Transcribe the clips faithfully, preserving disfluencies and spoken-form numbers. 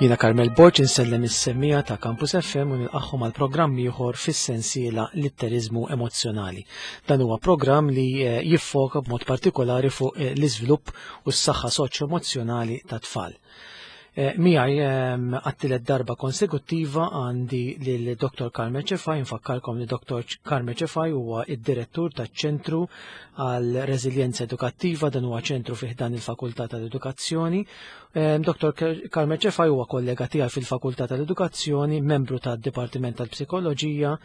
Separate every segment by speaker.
Speaker 1: Jiena Carmel Borg insellem is-semmiegħa ta' Campus F M u nilqagħhom għal programm ieħor fis-sensiela Litteriżmu Emozzjonali. Dan huwa programm li eh, jiffoka b'mod partikolari fuq eh, l-iżvilupp u s-saħħa soċjo-emozzjonali ta' tfal. Eh, miegħi ehm, għat-tielet darba konsekuttiva għandi lil Dottor Carme Cefai. Nfakkarkom li Dottor Carme Cefai huwa id-direttur taċ-Ċentru għal Reżiljenza Edukattiva, dan huwa ċentru fih dan il-Fakultà tal-Edukazzjoni. Ehm, Dottor Carme Cefai huwa kollega tiegħi fil-Fakultà tal-Edukazzjoni, membru tad-Dipartiment tal-Psikoloġija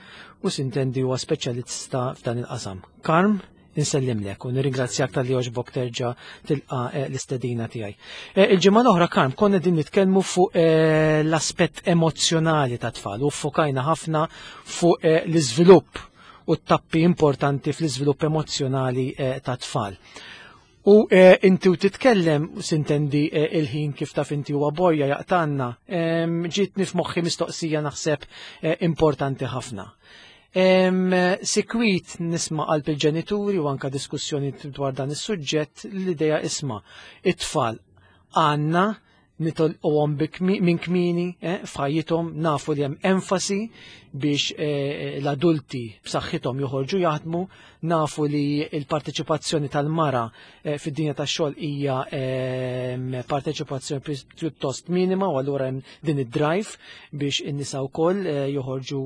Speaker 1: u sintendi huwa speċjalista f'dan il-qasam. Karm, insellimlek u nirringrazzjak talli għoġbok terġa' tilqa eh, l-istedina tiegħi. Eh, il-ġimgħa l-oħra, Karm, konna din nitkellmu fuq eh, l-aspett emozjonali ta' tfal u fokajna ħafna fuq l-iżvilupp u t-tappi importanti fl-iżvilupp emozjonali ta' tfal. U inti u titkellem, sintendi il-ħin kif taf inti huwa borja jaqtanna, ġietni f'moħħi mistoqsija naħseb importanti ħafna. Sikwit nisma' qalb il-ġenituri u anka diskussjoni dwar dan is-suġġett l-idea, isma', it-tfal għandna nitolquhom minn kmieni eh, f'ħajjithom. Nafu li hemm enfasi biex eh, l-adulti b'saħħithom joħorġu jaħdmu, nafu li l-parteċipazzjoni tal-mara eh, fid-dinja tax-xogħol hija parteċipazzjoni pjuttost minima u allura hemm din id-drive biex in-nisa wkoll joħorġu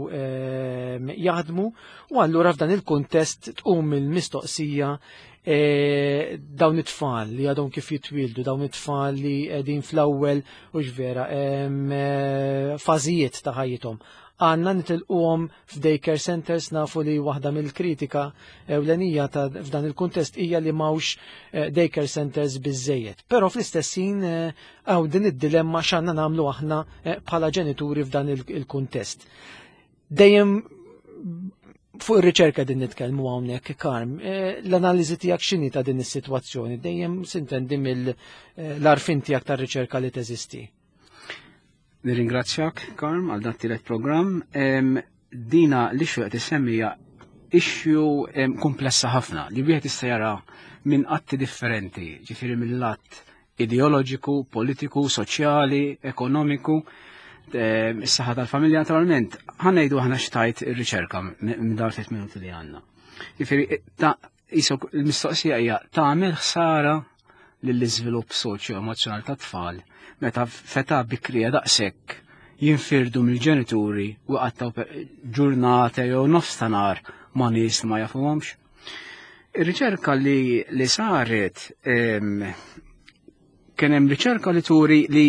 Speaker 1: jaħdmu u allura f'dan il-kuntest tqum il-mistoqsija: E, dawn it-tfal li għadhom kif jitwildu, dawn it-tfal li qegħdin fl-ewwel u vera e, fażijiet ta' ħajjithom, għandna nitilquhom f'daycare centers? Nafu li waħda mill-kritika ewlenija ta' f'dan il-kuntest hija li m'hawnx eh, daycare centers biżejjed. Però fl-istess ħin hawn din id-dilemma x'għandna nagħmlu aħna bħala ġenituri f'dan il-kuntest. Dejjem fuq ir-riċerka din nitkellmu hawnhekk, Karm, l-analiżi tiegħek x'inhi ta' din is-sitwazzjoni? Dejjem sintendi mill-għarfien tiegħek tar-riċerka li teżisti.
Speaker 2: Nirringrazzjak, Karm, għal dat tielet programm. Dina l-issue qed issemmija issue komplessa ħafna li wieħed jista' jara minn atti differenti, ġifieri mill-att ideoloġiku, politiku, soċjali, ekonomiku, is-saħħa tal-familja naturalment. Ħa ngħidu aħna x'tgħid ir-riċerka minn dawn tliet minuti li għandna. Ġifieri il-mistoqsija hija: tagħmel ħsara lill-iżvilupp soċjo-emozjonali tat-tfal meta f'età bikrija daqshekk jinfirdu mill-ġenituri u qattaw ġurnata jew nofs ta' nhar ma' nies ma jafuhomx? Ir-riċerka li, li saret, kien hemm riċerka li turi li,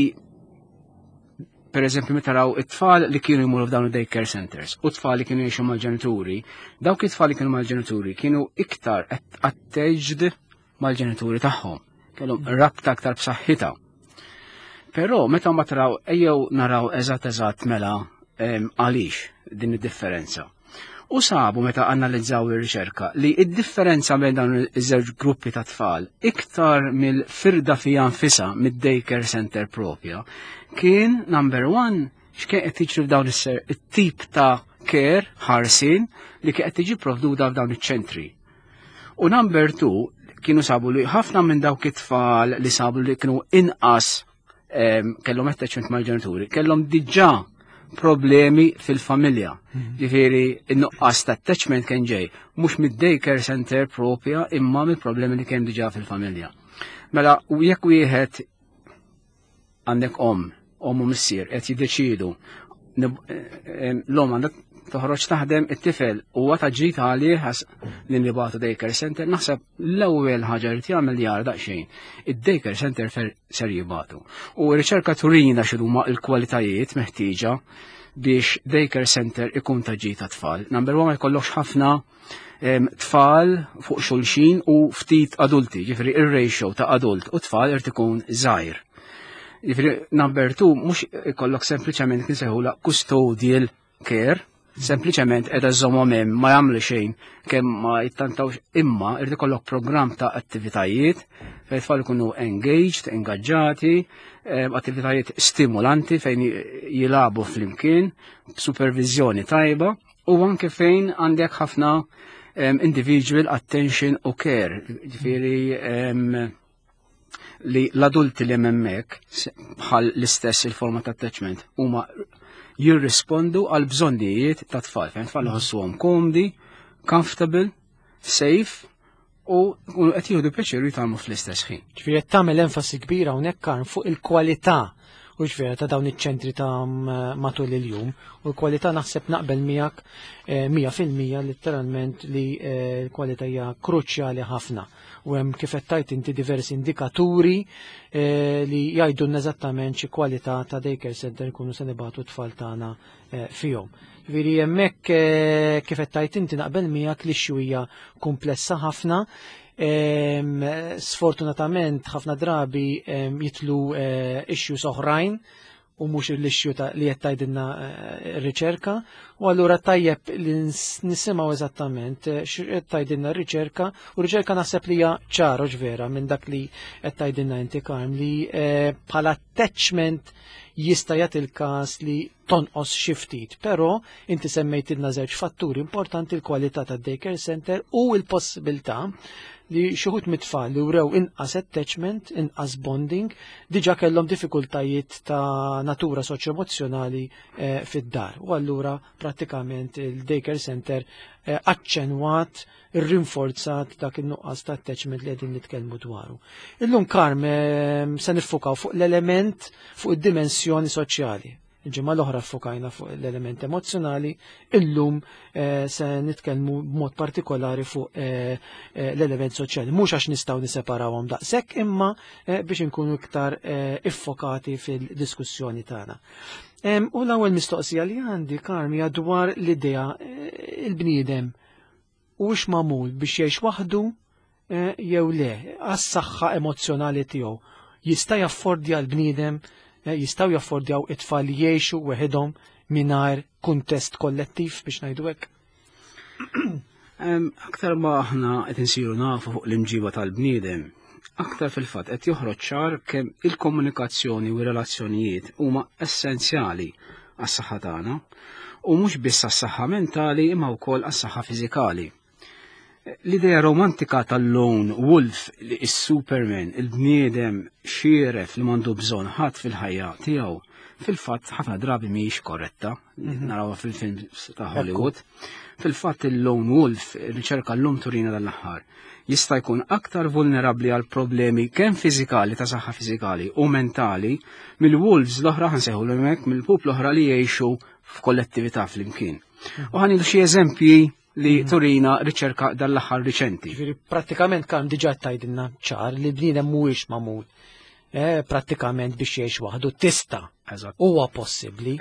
Speaker 2: per eżempju, meta raw it-tfal li kienu jmorru f'dawn id-daycare centers u tfal li kienu jgħixu mal-ġenituri, dawk it-tfal li kienu mal-ġenituri kienu iktar attached mal-ġenituri tagħhom, kellhom rabta aktar b'saħħitha. Però meta ma taraw, ejjew naraw eżatt eżatt mela għaliex din id-differenza. U sabu meta analizzaw ir-riċerka li id-differenza bejn dawn iż-żewġ gruppi ta' tfal, iktar mill-firda fija nfisha mid-daycare center propja, kien number one x'kien qed jiġri f'dawn it-tip ta' care, ħarsin li kien qed tiġi provduta f'dawn iċ-ċentri. U number two, kienu sabu li ħafna minn dawk it-tfal li sabu li kienu inqas kellhom attachment mal-ġenituri, kellhom diġà problemi fil-familja. Mhm. Ġifieri, in-nuqqas ta' attachment kien ġej mhux mid-daycare center propja imma mill-problemi li kien diġà fil-familja. Mela, u jekk wieħed għandek om, om u missier qed jiddeċidu l-om għandek toħroġ taħdem, it-tifel huwa ta' ġid għalih li nibagħtu daycare center, naħseb l-ewwel ħaġa li jagħmel jara daqsxejn id-daycare center ser jibagħtu. U r-riċerka turina x'huma l-kwalitajiet meħtieġa biex daycare center ikun ta' ġid ta' tfal. Number one, ma jkollokx ħafna tfal fuq xulxin u ftit adulti, ġifieri ir-ratio ta' adult u tfal irid ikun żgħir. Ġifieri number two, mhux ikollok sempliċement kinsejħula custodial care, sempliċement qiegħda żommhom hemm ma jagħmlu xejn kemm ma jittantawx, imma irid ikollok programm ta' attivitajiet fejn tfal ikunu engaged, ingaġġati, attivitajiet stimulanti fejn jilagħbu flimkien, supervizjoni tajba u anke fejn għandek ħafna individual attention u care. Ġifieri li l-adulti li hemmhekk bħal l-istess il-forma ta' attachment huma jirrispondu għal bżonnijiet ta' tfal. Fejn tfal iħossuhom komdi, comfortable, safe u qed jieħdu pjaċir jitgħallmu fl-istess ħin.
Speaker 1: Ġifieri qed tagħmel enfasi kbira hawnhekk, Karm, fuq il-kwalità u ġvera ta' dawn iċ-ċentri ta' matul il-jum, u l-kwalità naħseb naqbel miegħek eh, mija fil-mija letteralment li eh, l-kwalità hija kruċjali ħafna. U hemm, kif qed tajt inti, diversi indikaturi eh, li jgħidulna eżattament xi kwalità ta' daycare center nkunu se nibagħtu t-tfal tagħna fihom. Ġifieri hemmhekk, kif qed tajt inti, naqbel miegħek li hija komplessa ħafna. Sfortunatament ħafna drabi jidħlu eh, issues oħrajn u mhux l-issue li qed tgħidilna eh, r-riċerka, u allura tajjeb li nisimgħu eżattament eh, x'qed tgħidilna r-riċerka. U r-riċerka naħseb li hija ċara vera minn dak li qed tgħidilna inti, Karm, li bħala attachment jista' jagħti il-każ li tonqos xi ftit, però inti semmejtilna żewġ fatturi importanti, l-kwalità tad-daycare center u l-possibilità li xi wħud mit-tfal li wrew inqas attachment, inqas bonding, diġa kellhom diffikultajiet ta' natura soċjo-emozzjonali eh, fid-dar. U allura prattikament il-daycare center eh, aċċenwat, rinforzat dak il-nuqqas ta' attachment li qegħdin nitkellmu dwaru. Illum, Karm, eh, se niffukaw fuq l-element, fuq id-dimensjoni soċjali. Il-ġimgħa l-oħra ffokajna fuq l-element emozjonali, illum eh, se nitkellmu b'mod partikolari fuq eh, eh, l-element soċjali. Mhux għax nistgħu niseparawhom daqshekk, imma biex inkunu iktar iffokati fil-diskussjoni tagħna. U l-ewwel mistoqsija li għandi, Karm, hija dwar l-idea, il-bniedem hux magħmul biex jgħix waħdu jew le, għas-saħħa emozjonali tiegħu. Jista' jaffordja l-bniedem, Eh, jistgħu jaffordjaw it-tfal jgħixu weħidhom mingħajr kuntest kollettiv, biex ngħidu hekk?
Speaker 2: Aktar ma aħna qed insiru nafu fuq l-imġiba tal-bniedem, aktar fil-fatt qed joħroġ ċar kemm il-komunikazzjoni u r-relazzjonijiet huma essenzjali għas-saħħa tagħna, u mhux biss għas-saħħa mentali imma wkoll għas-saħħa fiżikali. L-idea romantika tal-lone wolf, li is-Superman, il-bniedem xieref li m'għandu bżonn ħadd fil-ħajja tiegħu, fil-fatt ħafna drabi mhijiex korretta, mhm. narawha fil-film ta' Hollywood. Fil-fatt il-lone wolf, riċerka l-lum turina dal-aħħar, jista' jkun aktar vulnerabbli għal problemi kemm fiżikali, ta' saħħa fiżikali u mentali, mill-wolves l-oħra, ħa nsejħu hekk, mill-pup l-oħra li jgħixu f'kollettività flimkien. U ħa nieħdu xi eżempji li mhm. turina riċerka dal-aħħar riċenti.
Speaker 1: Ġifieri prattikament kan diġà tgħidilna ċar li bniedem mhuwiex magħmul eh, prattikament biex jgħix waħdu. Tista', huwa possibbli,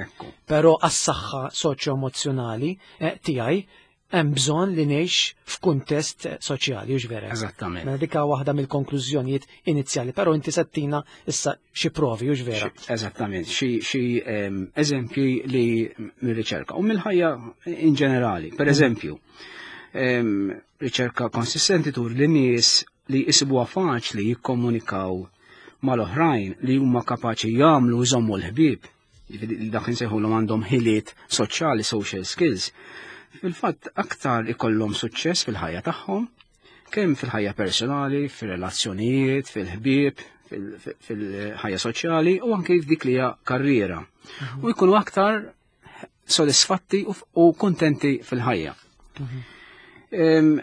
Speaker 1: però għas-saħħa soċjo-emozjonali eh, tiegħi hemm bżonn li ngħix f'kuntest soċjali, hux vera?
Speaker 2: Eżattament.
Speaker 1: Mela dika waħda mill-konklużjonijiet inizjali, però inti se ttina issa xi provi, hux vera?
Speaker 2: Eżattament, xi eżempji li mir-riċerka u mill-ħajja in ġenerali. Per mm. eżempju, riċerka konsistenti turi li nies li jisibuha faċli jikkomunikaw mal-oħrajn, li huma kapaċi jagħmlu, jżommu l-ħbieb, dak insejħulhom għandhom ħiliet soċjali, social skills, fil-fatt aktar ikollhom suċċess fil-ħajja tagħhom, kemm fil-ħajja personali, fil-relazzjonijiet, fil-ħbieb, fil-ħajja soċjali u anke f'dik li hija karriera. Mhm. U jkunu aktar sodisfatti u kontenti fil-ħajja. Mhm.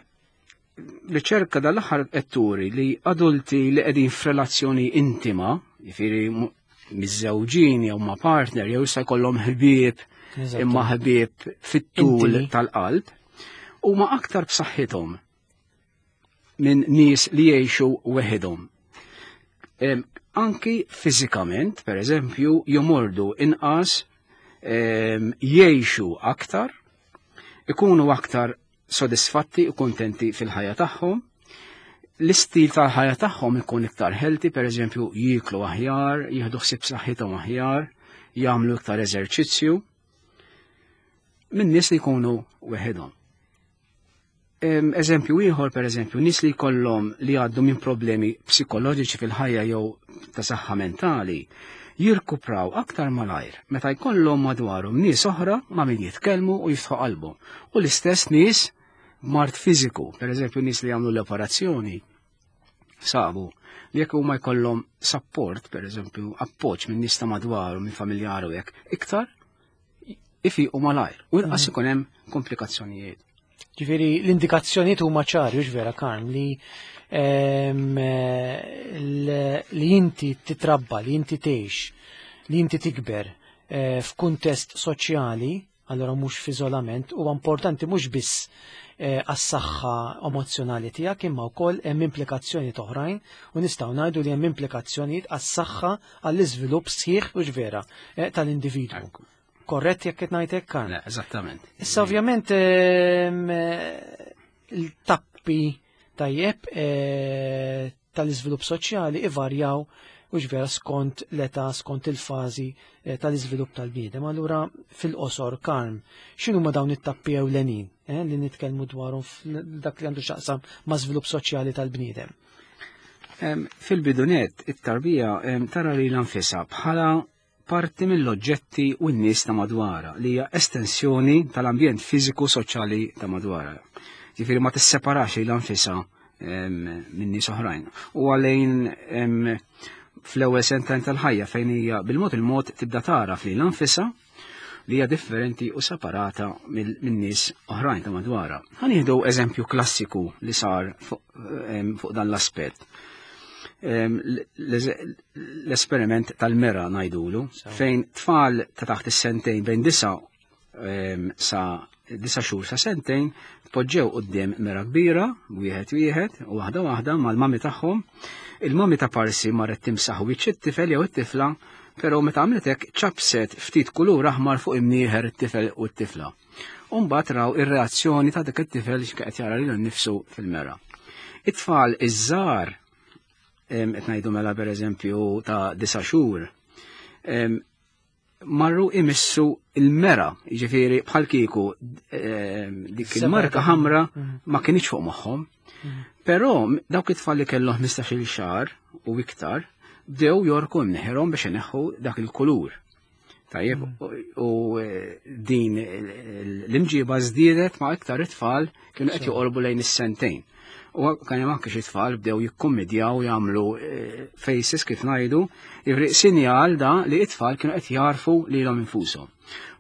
Speaker 2: Riċerka dal-aħħar qed turi li adulti li qegħdin f'relazzjoni intima, jifieri miżżewġin jew ma' partner jew jista' jkollhom ħbieb, imma ħbieb fit-tul tal-qalb, huma aktar b'saħħithom minn nies li jgħixu weħidhom. Anki fiżikament, per eżempju, jomordu inqas, jgħixu aktar, ikunu aktar sodisfatti u kontenti fil-ħajja tagħhom, l-istil tal-ħajja tagħhom ikun iktar healthy, per eżempju, jiklu aħjar, jieħdu ħsieb saħħithom aħjar, jagħmlu iktar eżerċizzju, minn nies li jkunu weħidhom. Eżempju ieħor, per eżempju, nies li jkollhom, li għaddu minn problemi psikoloġiċi fil-ħajja jew ta' saħħa mentali, jirkupraw aktar malajr meta jkollhom madwarhom nies oħra ma' min jitkellmu u jiftħu qalbhom. U l-istess nies mard fiżiku, per eżempju nies li jagħmlu l-operazzjoni, Sabu li jekk huma jkollhom support, per eżempju, appoġġ minn nies ta' madwaru, minn familjaru hekk, iktar ifiqu malajr u inqas ikun hemm komplikazzjonijiet.
Speaker 1: Ġifieri l-indikazzjonijiet huma ċari, hux vera, Karm, li ehm, l- li inti titrabba, li inti tgħix, li inti tikber eh, f'kuntest soċjali, allora mhux f'iżolament, huwa importanti mhux biss eh, għas-saħħa emozjonali tiegħek, imma wkoll hemm implikazzjonijiet oħrajn u nistgħu ngħidu li hemm implikazzjonijiet għas-saħħa, għall-iżvilupp sħiħ, hux vera, eh, tal-individwu. Korrett jekk qed ngħid hekk, Karm?
Speaker 2: Le, eżattament.
Speaker 1: Issa ovvjament ehm, eh, il-tappi, tajjeb, eh, tal-iżvilupp soċjali ivarjaw, hux vera, skont l-età, skont il-fażi eh, tal-iżvilupp tal-bniedem. Allura fil-qosor, Karm, x'inhu ma dawn it-tappi ewlenin eh, li nitkellmu dwarhom dak li għandu x'jaqsam ma' żvilupp soċjali tal-bniedem?
Speaker 2: Em, Fil-bidu nett, it-tarbija em, tara lilha nfisha bħala parti mill-oġġetti u n-nies ta' madwara, li hija estensjoni tal-ambjent fiżiku soċjali ta' madwara. Ġifieri ma tisseparax lilha nfisha em, minn nies oħrajn. U għalejn em, fl-ewwel sentejn tal-ħajja fejn hija bil-mod il-mod tibda tara lilha nfisha li hija differenti u separata minn nies oħrajn ta' madwara. Ħa nieħdu eżempju klassiku li sar fuq em, fuq dan l-aspett. Em, L-esperiment tal-mera ngħidulu, fejn tfal ta' taħt is-sentejn, bejn disa em, sa disa xhur sa sentejn, poġġew quddiem mera kbira, wieħed wieħed u waħda waħda mal-mami tagħhom. Il-mami ta' parsi marret timsaħ wiċċ it-tifel jew it-tifla, però meta għamlet hekk ċapset ftit kulur aħmar fuq imnieħer it-tifel u t-tifla. U mbagħad raw ir-reazzjoni ta' dak it-tifel x'qed jara lilu nnifsu fil-mera. It-tfal iż-żgħar, qed ngħidu mela pereżempju ta' disa' xhur, em, marru imissu il-mera, jiġifieri bħal kieku em, dik il-marka ħamra ma kienx fuq moħħhom. Però dawk it-tfal li kellhom ħmistax-il xahar u iktar bdew jorku mneħirhom biex ineħħu dak il-kulur. Tajjeb, u eh, din l-imġiba żdiedet ma' iktar it-tfal kienu qed joqorbu lejn is-sentejn. U kien hemm anke xi tfal bdew jikkummedjaw, jagħmlu eh, faces kif ngħidu, jiġifieri sinjal da li it-tfal kienu qed jarfu lilhom infushom.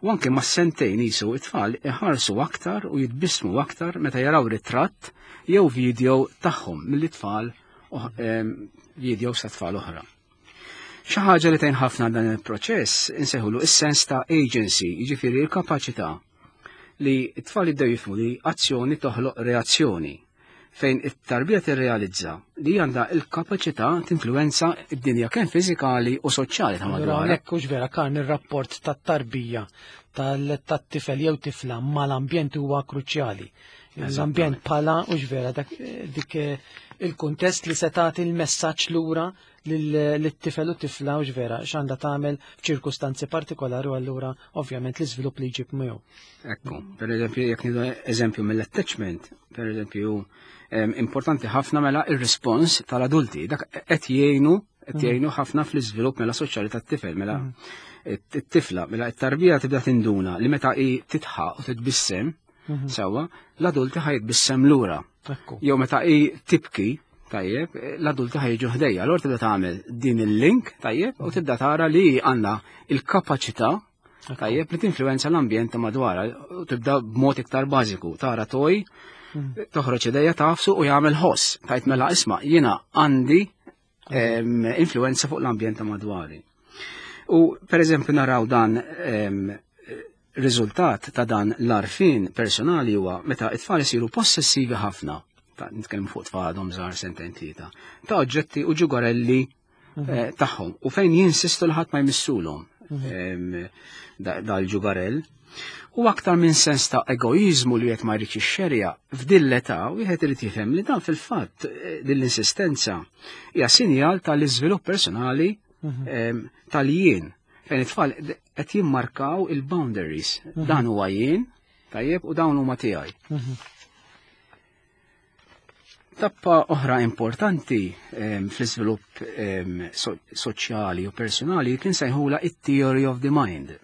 Speaker 2: U anke ma' sentejn jisu it-tfal iħarsu aktar u jitbissmu aktar meta jaraw ritratt jew video tagħhom mill-tfal video sa tfal oħra. Xi ħaġa li tgħin ħafna dan il-proċess insejħulu is-sens ta' agency, jiġifieri l-kapaċità li t-tfal jibdew jifhmu li azzjoni toħloq reazzjoni, fejn it-tarbija tirrealizza li għandha il-kapaċità tinfluwenza id-dinja kemm fiżikali u soċjali ta'
Speaker 1: Allura
Speaker 2: madwar.
Speaker 1: hawnhekk, hux vera, Karm, ir-rapport tat-tarbija, tat-tifel jew tifla mal-ambjent huwa kruċjali. L-ambjent bħala, hux vera, dak dik eh, il-kuntest li se tagħti l-messaġġ lura lit-tifel u tifla, hux vera, x'għandha tagħmel f'ċirkustanzi partikolari u allura ovvjament l-iżvilupp li jġib miegħu.
Speaker 2: Ekku, per eżempju, jekk nieħdu eżempju mill-attachment, per eżempju, em, importanti ħafna mela il-respons tal-adulti, dak qed jgħinu qed jgħinu ħafna fl-iżvilupp mela soċjali tat-tifel, mela it-tifla, mela it-tarbija tibda tinduna li meta hi titħaq u titbissem, sewwa, l-adulti ħa jitbissem lura.
Speaker 1: Ekku.
Speaker 2: Jew meta hi tibki, tajjeb, l-adulti ħa jiġu ħdejha. Allura tibda tagħmel din il-link, tajjeb, u tibda tara li għandha il-kapaċità, tajjeb, li tinfluenza l-ambjent ta' madwarha u tibda b'mod iktar bażiku. Tara toy, toħroġ idejha, tagħfsu u jagħmel ħoss. Tajt mela isma' jiena għandi em, influenza fuq l-ambjent ta' madwari. U per eżempju naraw dan em, riżultat ta' dan l-għarfien personali huwa meta it-tfal isiru possessivi ħafna, ta' nitkellmu fuq tfal għadhom żgħar, sentejn, tlieta, ta' oġġetti u ġugarelli eh, tagħhom u fejn jinsistu li ħadd ma jmissulhom em, da- dal-ġugarell. U aktar minn sens ta' egoizmu li qed ma jridx ixxerja, f'din l-età wieħed irid jifhem li dan fil-fatt eh, din l-insistenza hija sinjal tal-iżvilupp personali em, tal-jien, fejn it-tfal qed jimmarkaw il-boundaries. Dan huwa jien, tajjeb, u dawn huma tiegħi. Tappa oħra importanti em, fl-iżvilupp em, so soċjali u personali kien sejħula it-theory of the mind.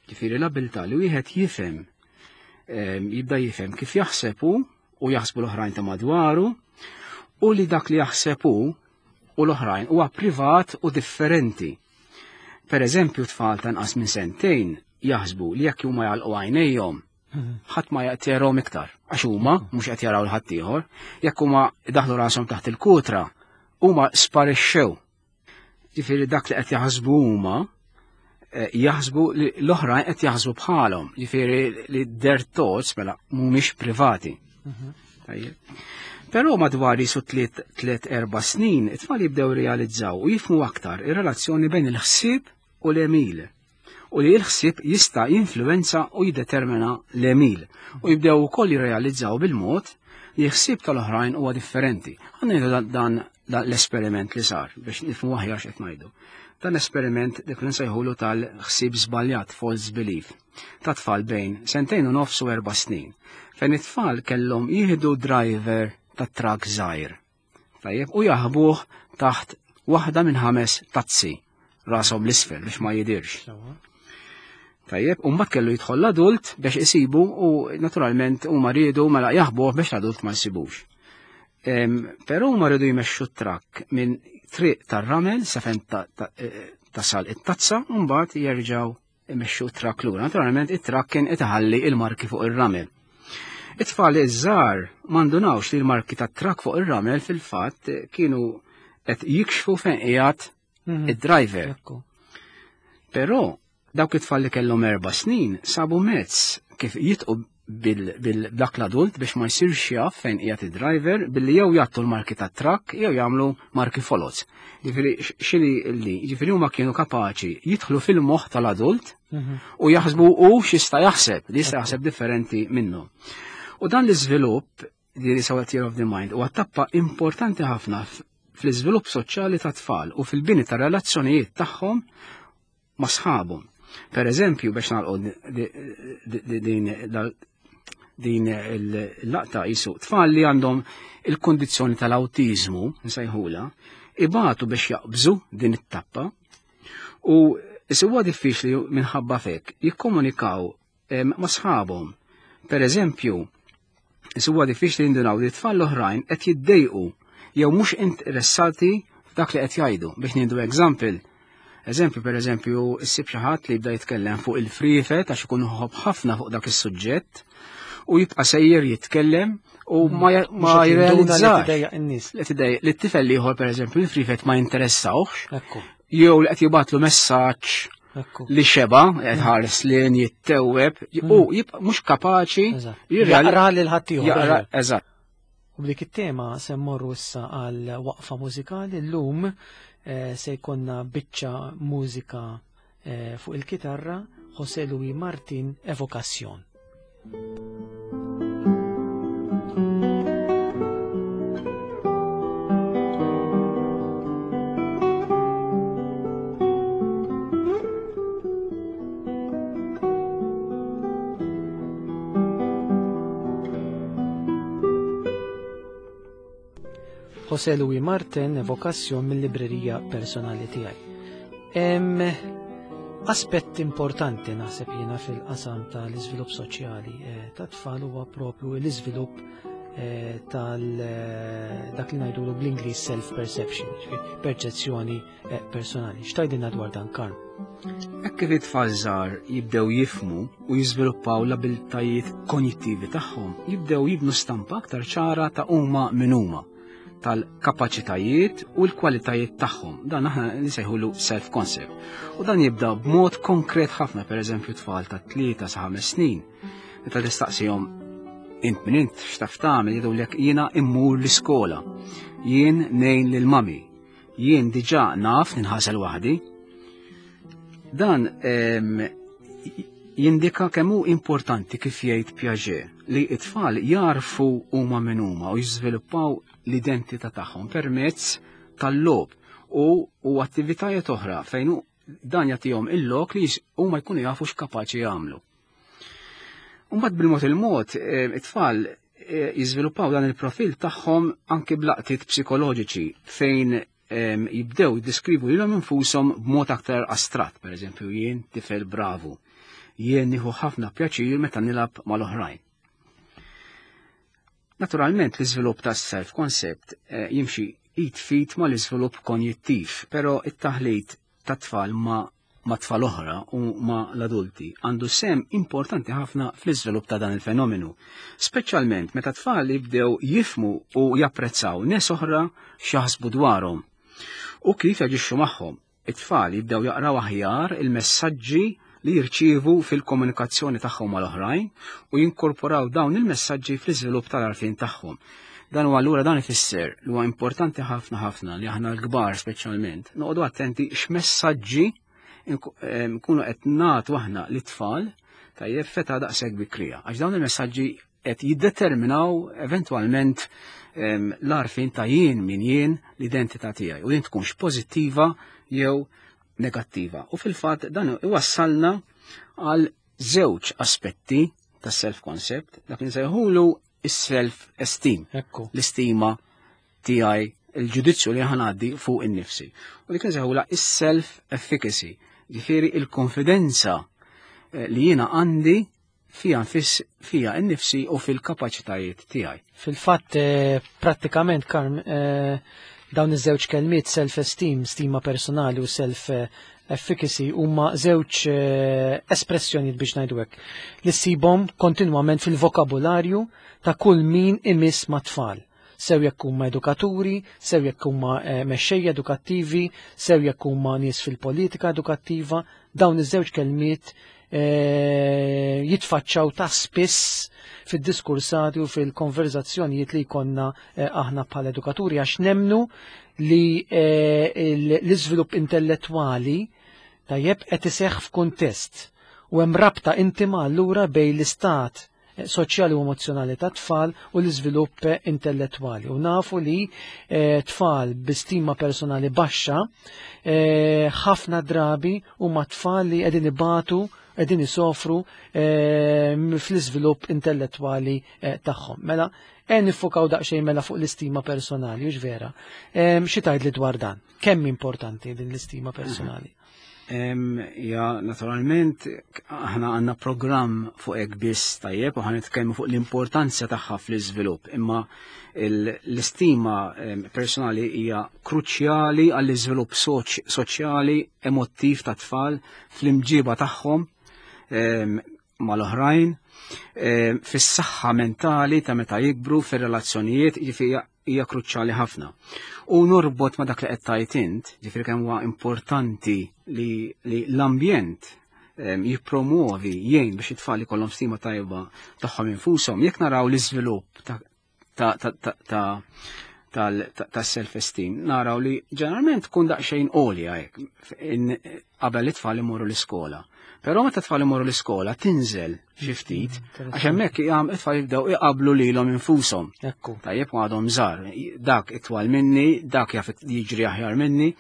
Speaker 2: Ġifieri l-abilità li wieħed jifhem em, jibda jifhem kif jaħseb hu u jaħsbu l-oħrajn ta' madwaru u li dak li jaħseb hu u l-oħrajn huwa privat u differenti. Per eżempju, tfal ta' inqas minn sentejn jaħsbu li jekk huma jagħlqu għajnejhom, ħadd ma jaqtjerhom iktar, għax huma mhux qed jaraw l ħadd ieħor, jekk huma daħlu rashom taħt il-kutra, huma sparixxew. Ġifieri dak li qed jaħsbu huma eh, jaħsbu li l-oħrajn qed jaħsbu bħalhom, ġifieri li their thoughts mela mhumiex privati. Tajjeb. Però madwar jisu tliet tliet erba' snin, it-tfal jibdew realizzaw u jifhmu aktar ir-relazzjoni bejn il-ħsieb u l-għemil. U li l-ħsieb jista' jinfluwenza u jiddetermina l-għemil. U jibdew ukoll jirrealizzaw bil-mod li l-ħsieb tal-oħrajn huwa differenti. Ħa ngħidu dan, dan, dan l-esperiment li sar biex nifhmu aħjar x'qed ngħidu. Dan l-esperiment dik li nsejħulu tal-ħsieb żbaljat, false belief, ta' tfal bejn sentejn u nofs u erba' snin, fejn it-tfal kellhom jieħdu driver ta' trak żgħir. Tajjeb, u jaħbuh taħt waħda minn ħames tazzi rashom l-isfel biex ma jidirx.
Speaker 1: Sewwa.
Speaker 2: Tajjeb, u mbagħad kellu jidħol l-adult biex isibu u naturalment huma riedu mela jaħbuh biex l-adult ma jsibux. Em, Però huma riedu jmexxu t-trakk minn triq tar-ramel sa fejn ta- ta- eh, tasal it-tazza u mbagħad jerġgħu imexxu t-trakk lura. Naturalment it-trakk kien iħalli il-marki fuq ir-ramel. It-tfal iż-żgħar m'indunawx li l-marki tat-trakk fuq ir-ramel fil-fatt kienu qed jikxfu fejn qiegħed
Speaker 1: Mhm.
Speaker 2: id-driver.
Speaker 1: Ekku.
Speaker 2: Però dawk it-tfal li kellhom erba' snin sabu mezz kif jitqu bil-dak l-adult biex ma jsirx jaf fejn qiegħed id-driver billi jew jgħattu l-marki tat-trakk jew jagħmlu marki foloz. Ġifieri x'inhi li, ġifieri huma kienu kapaċi jidħlu fil-moħħ tal-adult
Speaker 1: Mhm.
Speaker 2: u jaħsbu u x'jista' jaħseb, li jista' jaħseb differenti minnu. U dan l-iżvilupp li jisaw theory of the mind huwa tappa importanti ħafna f- fl-iżvilupp soċjali ta' tfal u fil-bini ta' relazzjonijiet tagħhom ma' sħabhom. Per eżempju, biex nagħlqu di- di- di- din dal- din il-laqta jisu tfal li għandhom il-kondizzjoni tal-autizmu, nsejħula, ibatu biex jaqbżu din it-tappa u huwa diffiċli minħabba fek jikkomunikaw em, ma' sħabhom. Per eżempju, huwa diffiċli jindunaw li tfal l-oħrajn qed jiddejqu jew mhux interessati f'dak li qed jgħidu. Biex nieħdu example, eżempju per eżempju, issib xi ħadd li jibda jitkellem fuq il-friefet għax ikun ħobb ħafna fuq dak is-suġġett u jibqa' sejjer jitkellem u ma ma
Speaker 1: Mhux qed jinduna li
Speaker 2: jirrealizzax
Speaker 1: tidejjaq in-nies.
Speaker 2: li tidej li t-tifel ieħor per eżempju il-friefet ma jinteressawx
Speaker 1: Ekku,
Speaker 2: jew li qed jibgħatlu messaġġ
Speaker 1: ekku.
Speaker 2: li xeba qed ħares lejn jittewweb u jibqa' mhux kapaċi
Speaker 1: Eżatt.
Speaker 2: jirreali-
Speaker 1: Jaqra lil ħaddieħor.
Speaker 2: jaqra eżatt.
Speaker 1: U b'dik it-tema se mmorru issa għal waqfa mużikali llum eh, se jkollna biċċa mużika eh, fuq il-kitarra José Luis Martin Evocación. José Luis Martin Evocación mill-librerija personali tiegħi. Hemm aspett importanti naħseb jiena fil-qasam tal-iżvilupp soċjali eh, ta' tfal huwa propju l-iżvilupp eh, tal eh, dak li ngħidulu bl-Ingliż self-perception, ġifieri perċezzjoni eh, personali. X'tgħidilna dwar dan Karm?
Speaker 2: Hekk kif it-tfal żgħar jibdew jifhmu u jiżviluppaw l-abiltajiet konjittivi tagħhom, jibdew jibnu stampa aktar ċara ta' huma min huma tal-kapaċitajiet u l-kwalitajiet tagħhom. Dan aħna nsejħulu self-concept. U dan jibda b'mod konkret ħafna, per eżempju tfal ta' tlieta sa ħames snin. Meta tistaqsihom int min int x'taf tagħmel jgħidulek jiena immur l-iskola. Jien ngħin lil mami. Jien diġà naf ninħasel waħdi. Dan em, jindika kemm hu importanti kif jgħid Piaget li t-tfal jarfu huma min huma u jiżviluppaw l-identità tagħhom permezz tal-logħob u, u attivitajiet oħra fejn hu- dan jagħtihom il-lok li jis- huma jkunu jafu x'kapaċi jagħmlu. Mbagħad bil-mod il-mod eh, it-tfal eh, jiżviluppaw dan il-profil tagħhom anke b'laqtiet psikoloġiċi fejn em, jibdew jiddeskrivu lilhom infushom b'mod aktar astratt, per eżempju jien tifel bravu, jien nieħu ħafna pjaċir meta nilgħab mal-oħrajn. Naturalment l-iżvilupp tas self-concept eh, jimxi id f'id mal-iżvilupp konjittiv, però it-taħlit ta' tfal ma' ma' tfal oħra u ma' l-adulti għandu sehem importanti ħafna fl-iżvilupp ta' dan il-fenomenu. Speċjalment meta tfal jibdew jifhmu u japprezzaw nies oħra x'jaħsbu dwarhom u kif jaġixxu magħhom. It-tfal jibdew jaqraw aħjar il-messaġġi li jirċievu fil-komunikazzjoni tagħhom mal-oħrajn u jinkorporaw dawn il-messaġġi fl-iżvilupp tal-għarfien tagħhom. Dan huwa allura dan ifisser li huwa importanti ħafna ħafna li aħna l-kbar speċjalment noqogħdu attenti x'messaġġi nkunu qed nagħtu aħna lit-tfal, tajjeb, f'età daqshekk bikrija. Għax dawn il-messaġġi qed jiddeterminaw eventwalment l-għarfien ta' jien min jien, l-identità tiegħi, u din tkunx pożittiva jew negattiva. U fil-fatt dan iwassalna għal żewġ aspetti tas self-concept, dak li nsejħulu is-self-esteem, l-istima tiegħi, il-ġudizzju li ħa ngħaddi fuq in-nifsi. U dik nsejħula is-self-efficacy, ġifieri il-konfidenza eh, li jiena għandi fija nfis fija n-nifsi u fil-kapaċitajiet tiegħi.
Speaker 1: Fil-fatt eh, prattikament, Karm, eh, dawn iż-żewġ kelmiet, self-esteem, stima personali, u self-efficacy, huma żewġ espressjonijiet, biex ngħidu hekk, li ssibhom kontinwament fil-vokabularju ta' kull min imiss ma' tfal. Sew jekk huma edukaturi, sew jekk huma mexxejja edukattivi, sew jekk huma nies fil-politika edukattiva, dawn iż-żewġ kelmiet eh, jitfaċċaw ta' spiss fid-diskursati u fil-konverzazzjonijiet li jkollna eh, aħna bħala edukaturi, għax nemmnu li eh, l-iżvilupp intellettwali, tajjeb, qed iseħħ f'kuntest u hemm rabta intima allura bejn l-istat soċjali u emozjonali ta' tfal u l-iżvilupp intellettwali. U nafu li eh, tfal bi stima personali baxxa eh, ħafna drabi huma tfal li qegħdin ibatu, qegħdin isofru eh, fl-iżvilupp intellettwali tagħhom. Mela, e niffukaw daqsxejn mela fuq l-istima personali, hux vera? Xi tgħid li dwar dan? Kemm importanti din l-istima personali?
Speaker 2: Ja, naturalment, aħna għandna programm fuq hekk biss, tajjeb, u ħa nitkellmu fuq l-importanza tagħha fl-iżvilupp, imma l-istima personali hija kruċjali għall-iżvilupp soċjali, emottiv ta' tfal fl-imġiba tagħhom mal-oħrajn, fis-saħħa mentali ta' meta jikbru, fir-relazzjonijiet, jiġifieri hija kruċjali ħafna. U norbot ma' dak li qed tgħid int, ġifieri kemm huwa importanti li, li l-ambjent jippromuovi, jgħin biex it-tfal ikollhom stima tajba tagħhom infushom. Jekk naraw l-iżvilupp ta' ta' ta' ta' ta' self-esteem, naraw li ġeneralment tkun daqsxejn għolja hekk qabel it-tfal imorru l-iskola. Però meta tfal imorru l-iskola tinżel xi ftit, mm, għax hemmhekk it-tfal jibdew iqablu lilhom infushom. Tajjeb, għadhom żgħar, dak itwal minni, dak jaf jiġri aħjar minni.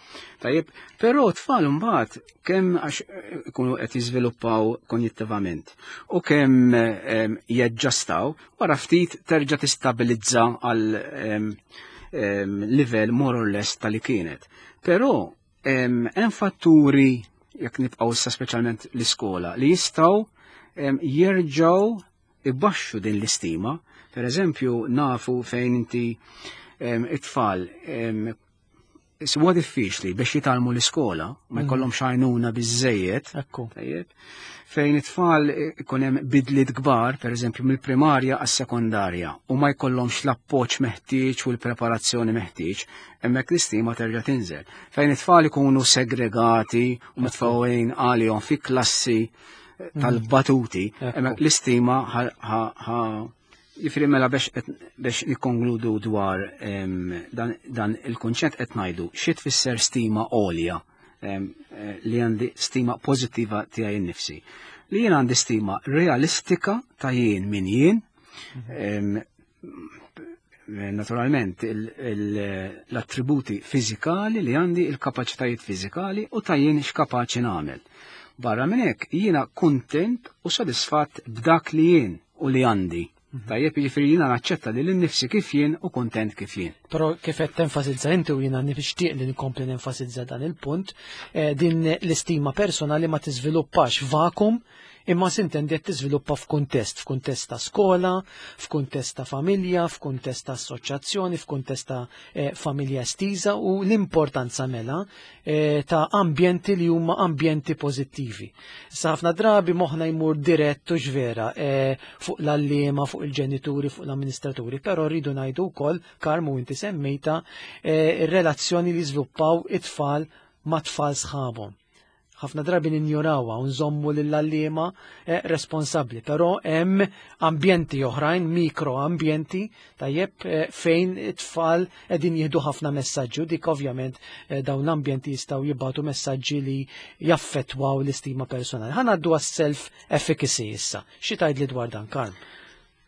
Speaker 2: Tajjeb, però tfal mbagħad kemm għax ikunu qed jiżviluppaw konjittivament u kemm jaġġastaw, wara ftit terġa' tistabilizza għal livell more or less tal-li kienet. Però hemm fatturi, jekk nibqgħu issa speċjalment l-iskola, li jistgħu jerġgħu ibaxxu din l-istima. Per eżempju, nafu fejn inti it-tfal huwa diffiċli biex jitgħallmu l-iskola, ma mm. jkollhomx għajnuna biżejjed. Fejn it-tfal ikun hemm bidliet kbar, per eżempju mill-primarja għas-sekondarja, u ma jkollhomx l-appoġġ meħtieġ u l-preparazzjoni meħtieġ, hemmhekk l-istima terġa' tinżel. Fejn it-tfal ikunu segregati u mitfgħin għalihom fi klassi mm. tal-batuti, hemmhekk l-istima Jiġifieri mela biex biex nikkonkludu dwar dan, dan il-kunċett, qed ngħidu xi tfisser stima għolja, eh, li għandi stima pożittiva tiegħi nnifsi. Li jien għandi stima realistika ta' jien min jien, mhm. naturalment l-attributi fiżikali li għandi, il-kapaċitajiet fiżikali u ta' jien x'kapaċi nagħmel. Barra minn hekk jiena kuntent u sodisfatt b'dak li jien u li għandi. Mhm. Tajjeb, jiġifieri jiena naċċetta lili nnifsi kif jien u kontent kif jien.
Speaker 1: Però kif qed tenfasizza inti u jiena nixtieq li nkompli nenfasizza dan il-punt, eh, din l-istima personali ma tiżviluppax vakum. Imma s'intendi qed tiżviluppa f'kuntest, f'kuntest ta' skola, f'kuntest ta' familja, f'kuntest ta' assoċjazzjoni, f'kuntest ta' eh, familja estiża u l-importanza mela eh, ta' ambjenti li huma ambjenti pożittivi. Issa ħafna drabi moħħna jmur dirett u ġvera eh, fuq l-għalliema, fuq il-ġenituri, fuq l-amministraturi, però rridu ngħidu wkoll, Karmu, inti semmejta, eh, ir-relazzjoni li żviluppaw it-tfal ma' tfal sħabhom. Ħafna drabi ninjorawha u nżommu lill-għalliema eh, responsabbli, però hemm ambjenti oħrajn, mikro ambjenti, tajjeb, eh, fejn it-tfal qegħdin jieħdu ħafna messaġġi u dik ovvjament eh, dawn l-ambjenti jistgħu jibgħatu messaġġi li jaffettwaw l-istima personali. Ħa ngħaddu għas-self efficacy issa. Xi tgħidli dwar dan, Karm?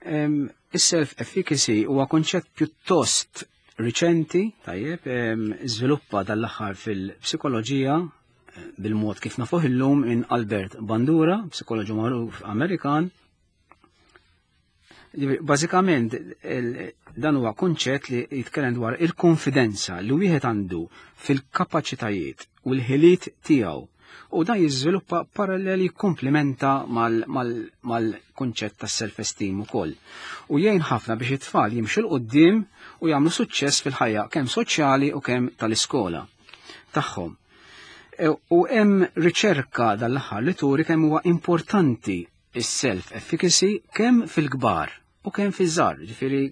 Speaker 2: Em, Is-self efficacy huwa konċett pjuttost riċenti, tajjeb, em, żviluppa dal-aħħar fil-psikoloġija eh, bil-mod kif nafuh illum minn Albert Bandura, psikoloġu magħruf Amerikan. Ġifieri, bażikament il- dan huwa konċett li jitkellem dwar il-konfidenza li wieħed għandu fil-kapaċitajiet u l-ħiliet tiegħu. U dan jiżviluppa paralleli, komplementa mal-konċett tas self-esteem ukoll. U jgħin ħafna biex it-tfal jimxu 'l quddiem u jagħmlu suċċess fil-ħajja kemm soċjali u kemm tal-iskola tagħhom. E, U hemm riċerka dal-aħħar li turi kemm huwa importanti is-self efficacy kemm fil-kbar u kemm fiż-żgħar. Ġifieri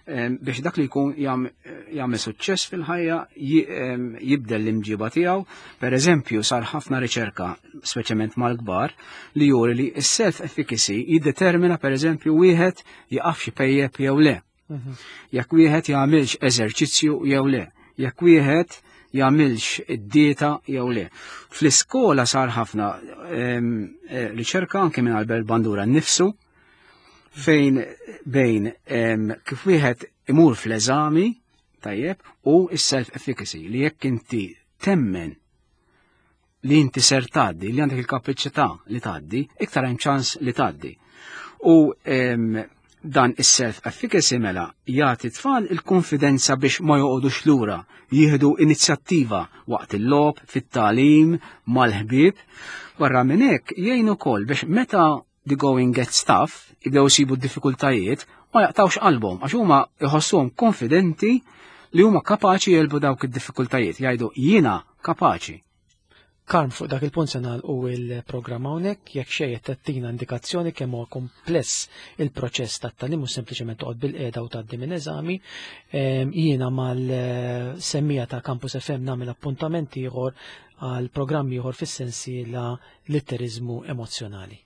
Speaker 2: em, biex dak li jkun jam- jagħmel suċċess fil-ħajja, ji- em, jibdel l-imġiba tiegħu. Per eżempju, sar ħafna riċerka, speċjalment mal-kbar, li juri li s-self efficacy jiddetermina, per eżempju, wieħed jaqafx ipejjep jew le. Jekk wieħed jagħmilx eżerċizzju jew le. Jekk wieħed jagħmilx id-dieta jew le. Fl-iskola sar ħafna em, eh, riċerka anke minn Albert Bandura nnifsu fejn bejn em, kif wieħed imur fl-eżami, tajjeb, u s-self efficacy li jekk inti temmen li inti ser tgħaddi, li għandek il-kapaċità li tgħaddi, iktar hemm ċans li tgħaddi. U em, dan is-self efficacy mela jagħti tfal il-konfidenza biex ma joqogħdux lura, jieħdu inizjattiva waqt il-logħob, fit-tagħlim, mal-ħbieb. Barra minn hekk jgħin ukoll biex meta the going gets tough, jibdew isibu d-diffikultajiet, ma jaqtawx qalbhom għax huma jħossuhom konfidenti li huma kapaċi jegħlbu dawk id-diffikultajiet, jgħidu: "Jiena kapaċi."
Speaker 1: Karm, fuq dak il-punt se nagħlqu il-programm hawnhekk. Jekk xejn tattina indikazzjoni kemm huwa kompless il-proċess tat-tagħlim u sempliċement toqgħod bil-qiegħda u tgħaddi minn eżami. Em, Jiena mal-semmiegħa ta' Campus F M nagħmel appuntament ieħor għal programm ieħor fis-sensiela Litteriżmu Emozzjonali.